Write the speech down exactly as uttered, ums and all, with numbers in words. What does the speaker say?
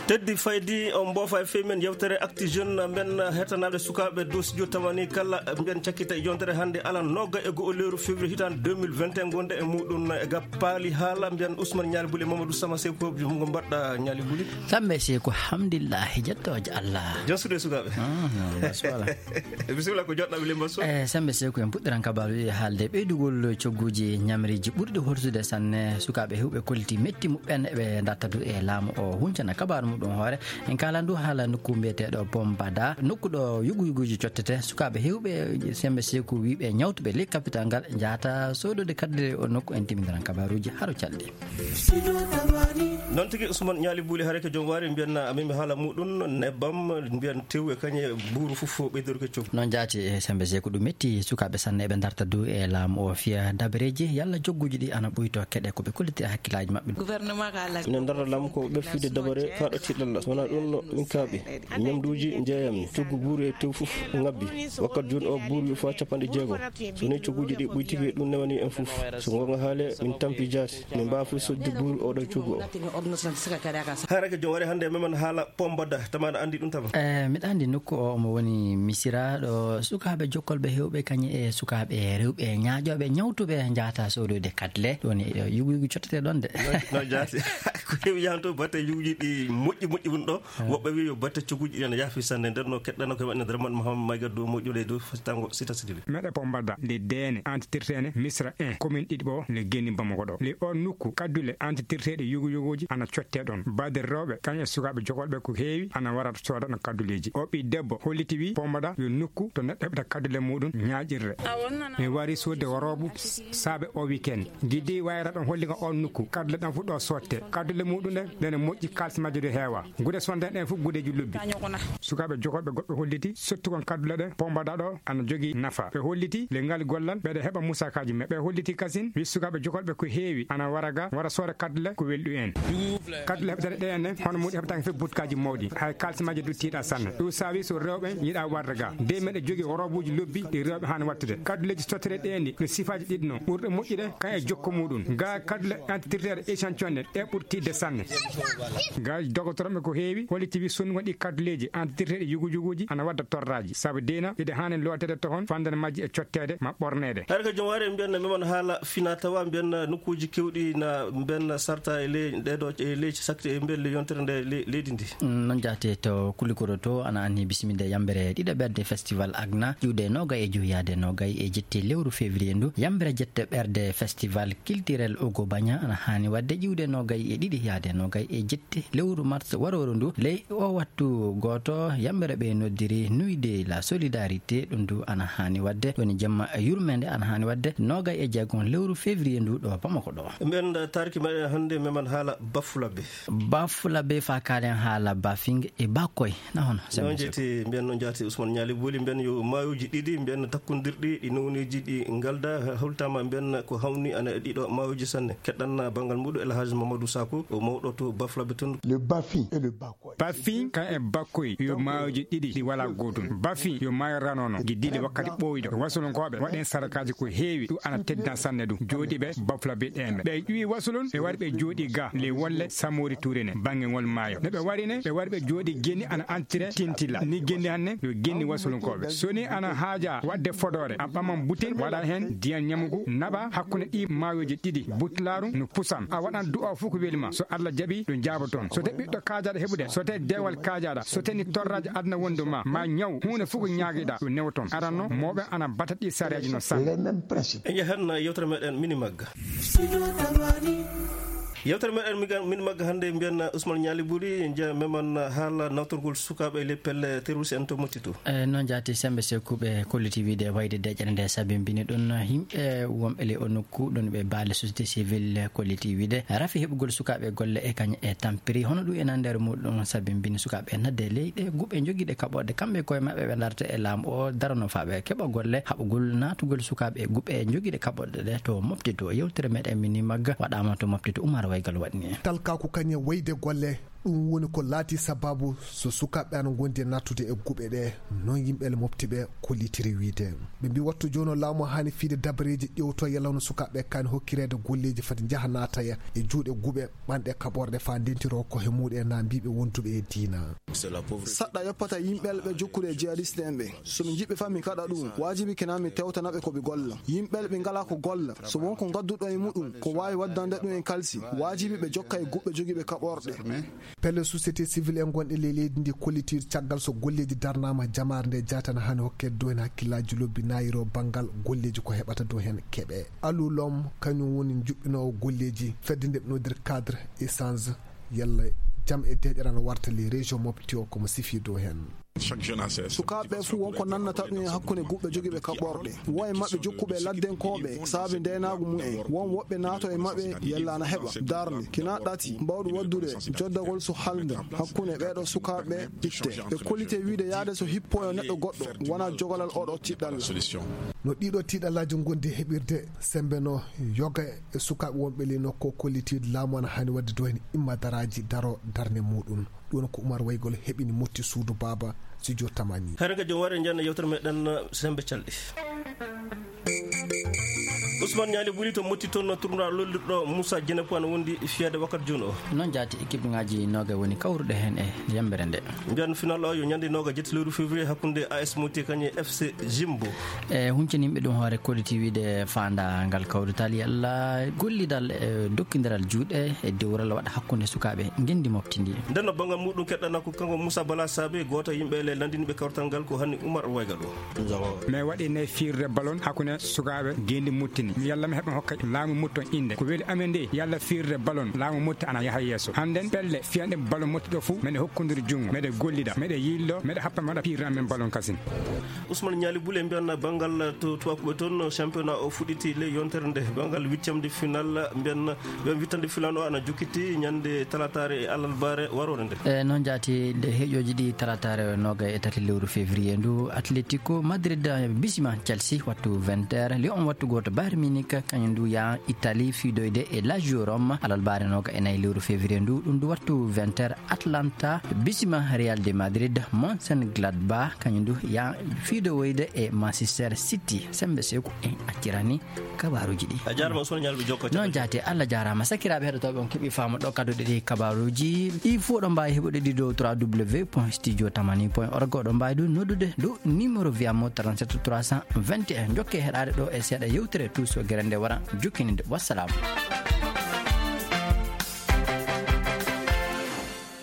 Teddi faydi on mboofa e fey men yewtere Actu Jeune, mbiyen hetanaaɓe sukaaɓe dow studio tamani kala, mbiyen cakkita e yontere hannde alan nooga e go'o lewru février hitaande deux mille vingt et un, ngonde e muɗum e gappaali haala, mbiyen Ousmane Ñaali Buli e Mamadou Sama Seko, mo mbaɗɗa Ñaali Buli? Kamɓe Seko, hamdillahi, jettooje Allah. Jasude sukaaɓe. Ah, non, non, voilà. Bisimilla, ko joɗɗaɓe Limba Sow. Eh, sembe Seko, en puɗɗiran kabaaruuji e haalde ɓeydugol cogguuji ñamriiji ɓurɗi horsude sanne. Sukaaɓe heewɓe kolliti metti muɓɓen eɓe darta du e laamu o huncana kabaaru muɗum hoore. En kaalan du haala nokku mbiyeteeɗo Pombada, nokku ɗo yugu yuguuji cottete. Sukaaɓe heewɓe sembe Seko wiiɓe ñawtuɓe ley kapital ngal njahata soodode kadde o nokku, en timmidiran kabaaruuji haro calɗi. Noon tigi, Ousmane Ñaali Buli, hare ko joom waari, mbiyen amin mi haala muɗum, nebbam, mbiyen tew e kañe buuru fof ɓeydorke coggu. Noon jaati e sembe Seko, ɗum metti sukaaɓe sanne eɓe darta du e laamu o fiya dabareeji, yalla cogguuji ɗi ana ɓuyto keɗe ko ɓe kolliti e hakkillaaji maɓɓe. Gouvernement ka ala. Ina darta laamu ko ɓe fiyde dabare ka ɗo tiɗalla. So wonaa ɗum no min kaaɓi. Ñamduuji njeeyammi, coggu buuru e tew fof ngabbi. Wakkati jooni o buuru yo faa capanɗe jeego. So wonii cogguuji ɗi ɓuytike, ɗum newani en fof. So goonga haale, min tampi jaasi. Min mbaawi fof sodde buuru oɗo coggu o. Harake joom wari hannde memen haala Pombada, tama aɗa anndi ɗum tama? Eh, miɗa anndi nokku o omo woni Misira, ɗo sukaaɓe jokkolɓe heewɓe kañe e sukaaɓe rewɓe ñaaƴooɓe ñawtuɓe njahata soodoyde kadle. Ɗum woni, eh, yugu yugu cottete ɗon de. No, no jaasi. Ko heewi yahan to batte yuguji ɗi moƴƴi moƴƴi woni ɗo. Woɓɓe wi yo batte cogguuji ɗi ana yaafi sanne. Nder no keɗɗano ko waɗi Abdourahmane Mohamed Mayga dow moƴƴude dow tango sita sidili. Meɗe Pombada, le Dene, antitirtene Misra un, commune ɗiɗi ɓo, le Geni Bamako ɗo. Le o nokku, kaddule antitirteɗe yugu yuguji ana cotte ɗon. Baade rewɓe, kañum e sukaaɓe jokolɓe ko heewi, ana wara sooda ɗon kadduleeji. O ɓii debbo holliti wi Pombada yo nokku to neɗɗo heɓata kaddule muɗum ñaaƴirre. Mi wari sodde woroobu saabe o weekend. Giddi wayra ɗon holli nga on nokku. Kaddule ɗan fu ɗo sotte. Kaddule muɗum ɗe, ɗene moƴƴi, kaalis majje du heewa. Gude sonde ɗen fu gudeji lobbi. Sukaaɓe jokolɓe goɗɓe holliti sottugon kaddule ɗe Pombada ɗo ana jogii nafa. Ɓe holliti le ngal gollal ɓeɗe heɓa musakaji, mais ɓe holliti kasin wi sukaaɓe jokolɓe ko heewi ana wara ga, wara sooda kaddule ko welɗu en. Kaddule heɓetene ɗe ene, hono muɗum heɓetake fe butkaji mawɗi. Hay kaalis majje du tiiɗa sanne. Ɗum saabi so rewɓe yiɗa warde ga. Nde meɗe jogii woroobuji lobbi ɗi rewɓe haani wattude. Kadduleji sottere ɗe ni no sifaaji ɗiɗi no. Ɓurɗe moƴƴude kan e jokko muɗum. Ga kaddule antitirteɗe échantillon ɗe, ɗe ɓurti de sanne. Ga dogotoroɓe ko heewi holliti wi sonnugol ɗi kadduleji antitirteɗe yugu yuguji ana wadda torraji. Sabu dina ɗiɗe haani lootede tohon, fandene majji e cotteede ma ɓorneede. Har ko jom ware mbiyen memon haala fina tawa mbiyen nokkuji kewɗi na mbiyen sarta e ley ɗeɗo e leydi sakti e mbiyen le yontere nde le-, leydi ndi. Mm, noon jaati to Kulikoro to ana anni bisiminde yambere ɗiɗaɓerde festival Agna, ƴiwde nogay e joyi yaade nogay e jetti lewru février ndu. Yambere jette ɓerde festival culturel Ogo Bagna ana haani wadde ƴiwde nogay e ɗiɗi yaade nogay e jetti lewru mars warooru ndu. Ley o wattu gooto, yambere ɓe noddiri Nuit de la Solidarité, ɗum ndu ana haani wadde, woni jemma yurmende ana haani wadde nogay e jeegom lewru février ndu ɗo Bamako ɗo. Mbiyen tarki meɗen hannde meman haala Bafulabe. Bafulabe fa kaalen haala Bafing e Bakoy. Na hono, sembe. Noon jetti, mbiyen noon jaati Ousmane Ñaali Booli, mbiyen yo maayooji ɗiɗi, mbiyen takkondirɗi, ɗi nowneeji ɗi ngalda, hawlitaama mbiyen ko hawni ana e ɗiɗo maayooji sanne. Keɗɗan banngal muɗum El Hadj Mamadou Sako, o mawɗo to Bafulabe toon. Le Bafing et le Bakoy. Bafing kan e Bakoy yo maayooji ɗiɗi ɗi walaa gootum. Bafing yo maayo ranono, giddiiɗe wakkati ɓooyɗo. Wasulunkooɓe waɗen sadakaaji ko heewi, ɗum ana teddina sanne ɗum. Jooɗiiɓe Bafulabe ɗen ɓe ƴuwi wasulun, ɓe wari ɓe jooɗi ga le wolle Samori Touré ne, bannge ngol maayo. No ɓe wari ne, ɓe wari ɓe jooɗi genni ana antire tintila. Ni genni hanne yo genni wasulunkooɓe. So ni ana haaja waɗde fodoore, a ɓaman butin, waɗa heen ndiyan ñamugu, naɓa hakkunde ɗi maayooji ɗiɗi. Butlaaru no pusan. A waɗan du'a fof ko weli ma. So Allah jaɓi, ɗum jaaboton. So te ɓiɗɗo kaajaɗo heɓude, so te deewal kaajaɗa, so te ni torraaji aduna wondu ma, ma ñaw, huunde fof ko ñaagiɗa, ɗum newoton. Aranno, mawɓe ana bata ɗi sareeji no sanne. En yahan yewtere meɗen mini magga. Yewtere meɗen miga-, min magga hannde mbiyen Ousmane Ñaali Buri, nje meman haala nawtorgol sukaaɓe e le pelle terroriste en to Motti to. E noon jaati sembe sekkuɓe kolliti wiide wayde deƴƴere nde sabimbini ɗum yimɓe wonɓe le o nokku ɗum ɓe baale société civile kolliti wiide rafi heɓugol sukaaɓe golle e kañ e tampiri. Hono ɗum ena nder muɗum sabimbini sukaaɓe nadde leyɗe guɓe jogiiɗe kaɓorɗe kamɓe koye maɓɓe ɓe darta e laamu o darano faaɓe keɓa golle haɓugol naatugol sukaaɓe guɓe jogiiɗe kaɓorɗe ɗe to Motti to. Yewtere meɗen mini magga waɗaama to Motti to Umar Waygal waɗni en. Talkaaku kañe wayde golle Ɗum woni ko laati sababu so sukaaɓe ana ngondi e nattude e guɓe ɗe, noon yimɓe le mofti ɓe kollitiri wiyde. Ɓe mbi wattu jooni o laamu haani fiide dabareeji ƴewto yalla hono sukaaɓe kaani hokkireede golleeji fati njaha naataya e juuɗe guɓe ɓanɗe kaɓorɗe faa ndentiro ko he muuɗe na mbiiɓe wonduɓe e diina. Saɗɗa yoppata yimɓe le ɓe jokkude e jihadiste en ɓe. So mi jiɓɓe faa mi kaɗa ɗum, waajibi kena mi tewtana ɓe ko ɓe golla. Yimɓe le ɓe ngalaa ko golla. So won ko ngadduɗo e muɗum, ko waawi waddande ɗum en kalsi. Waajibi ɓe jokka e guɓe jogiiɓe kaɓorɗe. Pelle société civile en gonɗe ley leydi ndi kollitiiɗo caggal so golleeji darnaama jamaare nde jaatana hano hokke dow heen hakkillaaji lobbi naayiro banngal golleeji ko heɓata dow heen keɓe. Alulom kañum woni juɓɓinoowo golleeji fedde nde ɓe noddir cadre échange yalla jam e deeƴere no warta ley région mofti o komo sifi dow heen. Sukaaɓe ɓe fuu won ko nannata ɗum e hakkunde guɓɓe jogiiɓe kaɓorɗe. Won e maɓɓe jokkuɓe laddenkooɓe saabe ndeenaagu mum en. Won woɓɓe naato e maɓɓe yalla ana heɓa darnde kina ɗati mbawɗo waɗdude joddagol so halnde hakkunde ɓeeɗo sukaaɓe itte. Ɓe kollite wiide yaade so hippoyo neɗɗo goɗɗo wona jogalal oɗo tiɗɗalla. No ɗiɗo tiɗallaaji ngondi heɓirde sembe no yoga e sukaaɓe wonɓe ley nokko kollitiiɗo laamu ana haani waɗde dow heen imma daraaji daro darnde muɗum. Ɗum ko Umar Waygol heɓini motti suudu baaba studio tamani. Hare ka jom ware njanna yewtere meɗen sembe calɗi. Ousmane Ñaali Buli to motti toon no tournoi lollirɗo Moussa Djenepo ana wondi fiyade wakkati jooni o. Noon jaati équipe ŋaaji nooga woni kawruɗe heen e yembere nde. Mbiyan final o yo ñande nooga jetti lewru février hakkunde A S Moti kañe F C Jimbo. E huncaninɓe ɗum hoore kolliti wiide faanda ngal kawrital yalla gollidal e dokkindiral juuɗe e dewral waɗa hakkunde sukaaɓe ngendi mofti ndi. Nden no banngal muɗum keɗɗana ko kanko Moussa Bala Sabe gooto e yimɓe le lanndiniɓe kawrital ngal ko hanni Umar Waygal o. Mais waɗi ne fiirde ballon hakkunde sukaaɓe ngendi mottini yalla mi heɓa hokka laamu motton innde ko weli amen nde yalla fiirde ballon laamu motti ana yaha yeeso hannden pelle fiyanɗe ballon motti ɗo fuu meɗe hokkondiri junngo meɗe gollida meɗe yillo meɗe happa meɗa piirna men ballon kasin. Ousmane Ñaali Bule mbiyan banngal to tubakuɓe toon championnat o fuɗɗiti ley yontere nde banngal huitième de final mbiyan ɓen wittande filan o ana jokkiti ñande talataare e alarbaare waroore nde. E noon jaati nde heƴooji ɗi talataare nooga e tati lewru février ndu Atletico Madrid bisima Chelsea wattu vingt heures Lyon wattu gooto Bayern Munich kañum ndu yaa Italie fiidoyde e Lazio Rome alarbaare nooga e nayi lewru février ndu ɗum ndu wattu vingt heures Atlanta bisima Real de Madrid Mönchengladbach kañum ndu yaa fiidowoyde e Manchester City sembe seeku en accirani kabaruji ɗi. A jaarama Ousmane Ñalɓe jokko noon jaati Allah jaarama sakiraaɓe heɗotooɓe on keɓi faamu ɗo kadduɗe ɗi kabaruji ɗi fof ɗo mbawi heɓude ɗi dow trois w point studio tamani point org oɗo mbawi ɗum noddude dow numéro wiyamo trente-sept trois cent vingt et un jokke heɗade ɗo e seeɗa yewtere tout so guere nde wara jokkininde wassalam.